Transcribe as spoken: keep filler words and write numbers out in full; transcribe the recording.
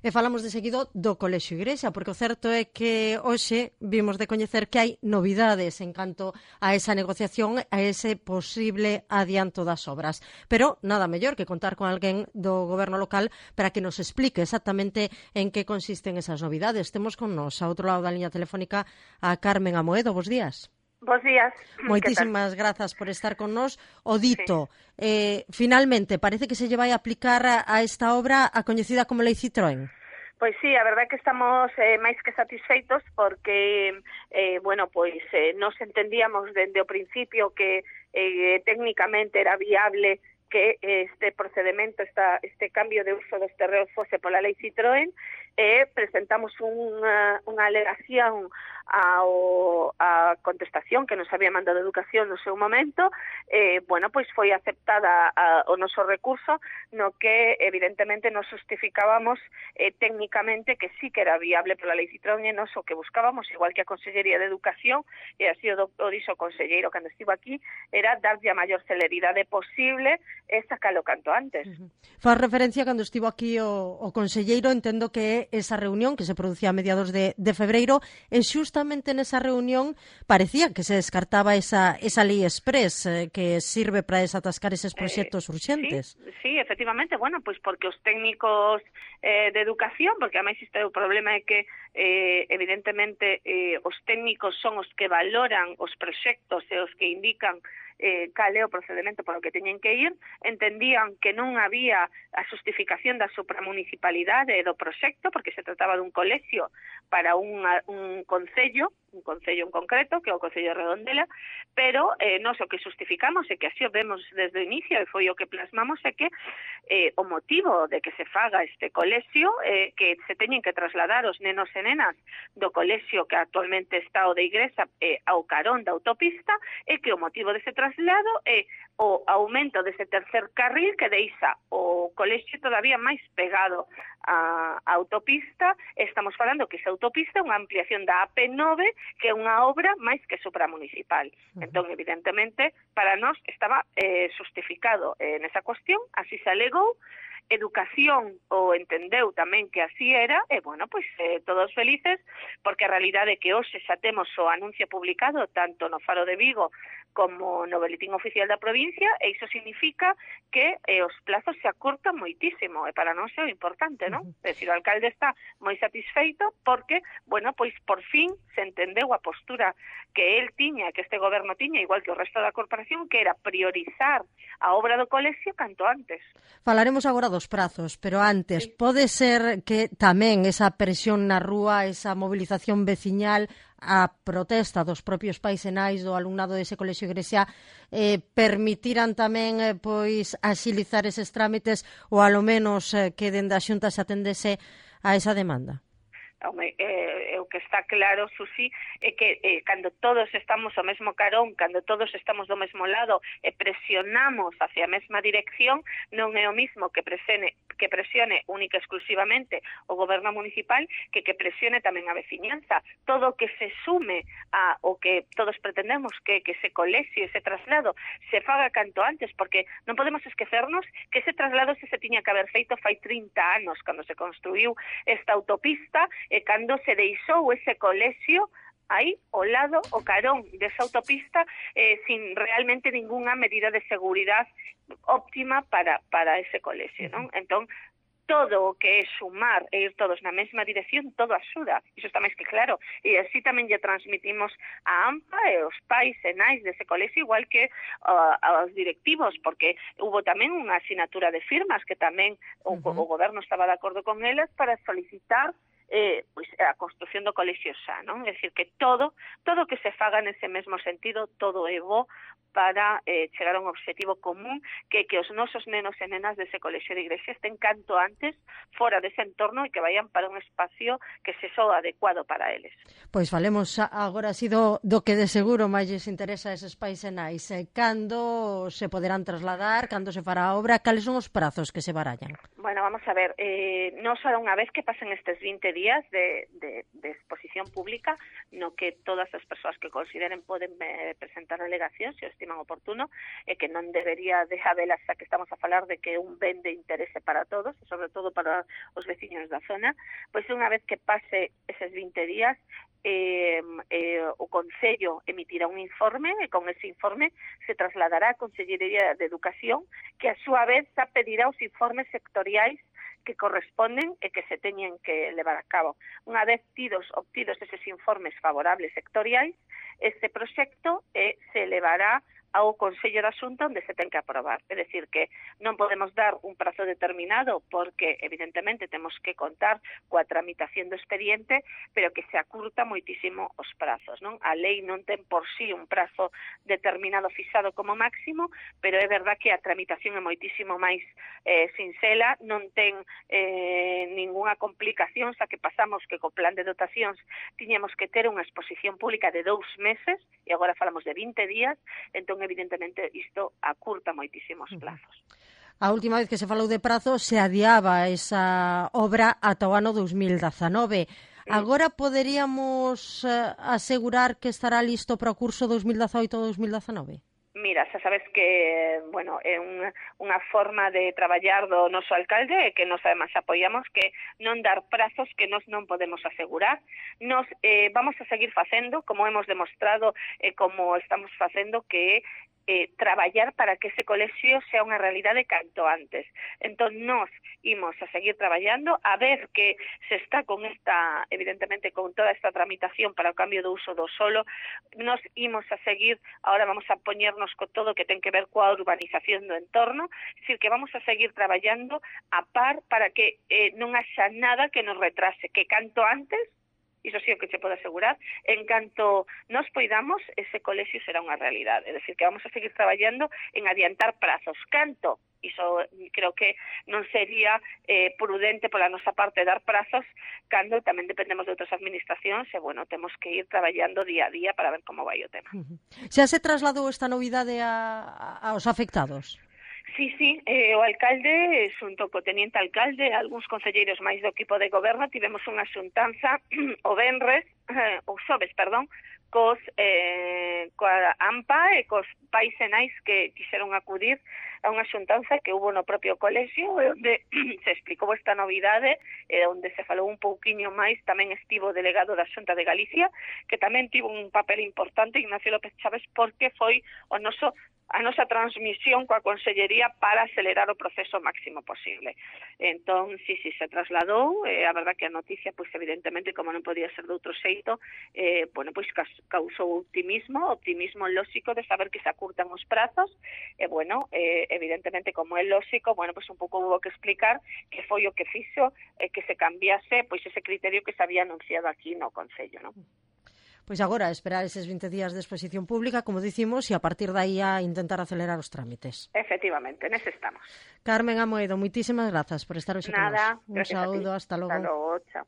E falamos de seguido do Colexio Igrexa, porque o certo é que hoxe vimos de coñecer que hai novidades en canto a esa negociación, a ese posible adianto das obras. Pero nada mellor que contar con alguén do goberno local para que nos explique exactamente en que consisten esas novidades. Temos con nos, a outro lado da liña telefónica, a Carmen Amoedo. Bos días. Bos días. Moitísimas grazas por estar con nos. O dito, sí. eh, finalmente, parece que se lle vai a aplicar a, a esta obra a coñecida como Lei Citroën. Pois sí, a verdade é que estamos eh, máis que satisfeitos porque, eh, bueno, pois eh, nos entendíamos dende o principio que eh, técnicamente era viable que este procedimento, esta, este cambio de uso dos terreos fose pola Lei Citroën, e eh, presentamos unha, unha alegación ao, a contestación que nos había mandado Educación no seu momento. Eh, bueno, pois foi aceptada a, o noso recurso, no que evidentemente nos justificábamos eh, técnicamente que sí que era viable pola Lei Citroën, e nos o que buscábamos, igual que a Consellería de Educación, e así o, o dixo o conselleiro cando estivo aquí, era darlle a maior celeridade posible e sacalo canto antes. Uh-huh. Faz referencia cando estivo aquí o, o conselleiro, entendo que esa reunión que se producía a mediados de, de febreiro, e justamente nesa reunión parecía que se descartaba esa, esa lei express eh, que sirve para desatascar eses proxectos eh, urxentes. Sí, sí, efectivamente, bueno, pois porque os técnicos eh, de educación, porque ademais este o problema é que eh, evidentemente eh, os técnicos son os que valoran os proxectos e os que indican eh, cal é o procedimento polo que teñen que ir, entendían que non había a justificación da supramunicipalidade do proxecto, porque se trataba dun colexio para unha, un concello, un concello en concreto, que é o Concello de Redondela, pero eh, nos o que justificamos e que así o vemos desde o inicio, e foi o que plasmamos, é que eh, o motivo de que se faga este colexio, eh, que se teñen que trasladar os nenos e nenas do colexio que actualmente está o de Igrexa eh, ao carón da autopista, é que o motivo dese traslado é o aumento dese tercer carril que deixa o colexio todavía máis pegado á autopista. Estamos falando que esa autopista é unha ampliación da A P nove, que é unha obra máis que supramunicipal. Uh-huh. Entón, evidentemente, para nós estaba eh, justificado eh, nesa cuestión, así se alegou. Educación o entendeu tamén que así era, e, bueno, pois eh, todos felices, porque a realidade é que hoxe xa temos o anuncio publicado tanto no Faro de Vigo como no Boletín Oficial da provincia, e iso significa que eh, os plazos se acortan moitísimo, e para nós é o importante, non? Uh-huh. É dicir, o alcalde está moi satisfeito porque, bueno, pois por fin se entendeu a postura que el tiña, que este goberno tiña, igual que o resto da corporación, que era priorizar a obra do colexio canto antes. Falaremos agora dos prazos, pero antes, sí. Pode ser que tamén esa presión na rúa, esa movilización veciñal, a protesta dos propios pais e nais do alumnado dese colexio Igrexa eh, permitiran tamén eh, pois axilizar eses trámites, ou alo menos eh, que dende a Xunta se atendese a esa demanda? Home, eh, o que está claro, Susi, é que eh, cando todos estamos ao mesmo carón, cando todos estamos do mesmo lado e presionamos hacia a mesma dirección, non é o mismo que presione, que presione única e exclusivamente o goberno municipal que que presione tamén a veciñanza. Todo o que se sume a o que todos pretendemos que, que ese colexio, ese traslado, se faga canto antes, porque non podemos esquecernos que ese traslado se, se tiña que haber feito fai trinta anos, cando se construiu esta autopista, e cando se deixou ese colexio aí, ao lado, o carón desa autopista, eh, sin realmente ningunha medida de seguridade óptima para, para ese colexio, non? Entón, todo o que é sumar e ir todos na mesma dirección, todo axuda, iso está máis que claro, e así tamén lle transmitimos a AMPA e os pais e nais dese colexio, igual que uh, aos directivos, porque hubo tamén unha asinatura de firmas que tamén uh-huh. o, o goberno estaba de acordo con elas para solicitar eh, pois, a construción do colexio xa, non? É dicir, que todo, todo que se faga nese mesmo sentido, todo é bo para eh, chegar a un objetivo común, que que os nosos nenos e nenas dese colexio de Igrexa estén canto antes fora dese entorno e que vayan para un espacio que se soa adecuado para eles. Pois falemos agora así do, do que de seguro máis lles interesa a eses pais e nais. Cando se poderán trasladar, cando se fará a obra, cales son os prazos que se barallan? Bueno, vamos a ver, eh, non só unha vez que pasen estes vinte días de, de, de exposición pública no que todas as persoas que consideren poden eh, presentar alegacións se o estiman oportuno e que non debería de habelas, xa que estamos a falar de que un ben de interese para todos e sobre todo para os veciños da zona, pois unha vez que pase eses vinte días Eh, eh, o Concello emitirá un informe e con ese informe se trasladará á Consellería de Educación, que a súa vez xa pedirá os informes sectoriais que corresponden e que se teñen que levar a cabo. Unha vez tidos, obtidos eses informes favorables sectoriais, este proxecto eh, se elevará ao Consello da Xunta onde se ten que aprobar. É dicir, que non podemos dar un prazo determinado porque, evidentemente, temos que contar coa tramitación do expediente, pero que se acurta moitísimo os prazos, non? A lei non ten por sí un prazo determinado fixado como máximo, pero é verdad que a tramitación é moitísimo máis eh, sinxela, non ten eh, ningunha complicación, xa que pasamos que co plan de dotacións tiñamos que ter unha exposición pública de dous meses, e agora falamos de vinte días, entón evidentemente isto acurta moitísimos plazos. A última vez que se falou de prazo se adiaba esa obra ata o ano dos mil dezanove. Agora poderíamos uh, asegurar que estará listo para o curso dos mil dezaoito a dos mil dezanove? Mira, xa sabes que, bueno, é unha, unha forma de traballar do noso alcalde e que nos además apoiamos que non dar prazos que nos non podemos asegurar. Nos eh, vamos a seguir facendo, como hemos demostrado e eh, como estamos facendo, que eh, traballar para que ese colexio sea unha realidade canto antes. Entón, nos imos a seguir traballando, a ver que se está con esta, evidentemente, con toda esta tramitación para o cambio do uso do solo, nos imos a seguir, ahora vamos a poñernos co todo que ten que ver coa urbanización do entorno, é dicir, que vamos a seguir traballando a par para que eh, non haxa nada que nos retrase, que canto antes, iso sí o que se pode asegurar, en canto nos poidamos, ese colexio será unha realidade. É dicir, que vamos a seguir traballando en adiantar prazos. Canto, iso creo que non sería eh, prudente pola nosa parte dar prazos cando tamén dependemos de outras administracións e, bueno, temos que ir traballando día a día para ver como vai o tema. Xa se trasladou esta novidade a, a, aos afectados? Sí, sí, eh, o alcalde, xunto co teniente alcalde, algúns concelleiros máis do equipo de goberno, tivemos unha xuntanza o venres, eh, o xoves, perdón, cos, eh, coa AMPA e cos pais e nais que quixeron acudir a unha xuntanza que hubo no propio colexio, onde se explicou esta novidade, e onde se falou un pouquiño máis, tamén estivo o delegado da Xunta de Galicia, que tamén tivo un papel importante, Ignacio López Chaves, porque foi o noso a nosa transmisión coa Consellería para acelerar o proceso máximo posible. Entón, sí, sí, se trasladou, eh, a verdad que a noticia, pois evidentemente, como non podía ser de outro xeito, eh, bueno, pois causou optimismo, optimismo lóxico de saber que se acurtan os prazos, e, bueno, eh, evidentemente, como é lóxico, bueno, pois un pouco hubo que explicar que foi o que fixo eh, que se cambiase, pois ese criterio que se había anunciado aquí no Concello, non? Pois agora, esperar eses vinte días de exposición pública, como dicimos, e a partir de aí a intentar acelerar os trámites. Efectivamente, nese estamos. Carmen Amoedo, moitísimas grazas por estar hoxe con nós. Un saúdo, hasta logo. Hasta logo, chao.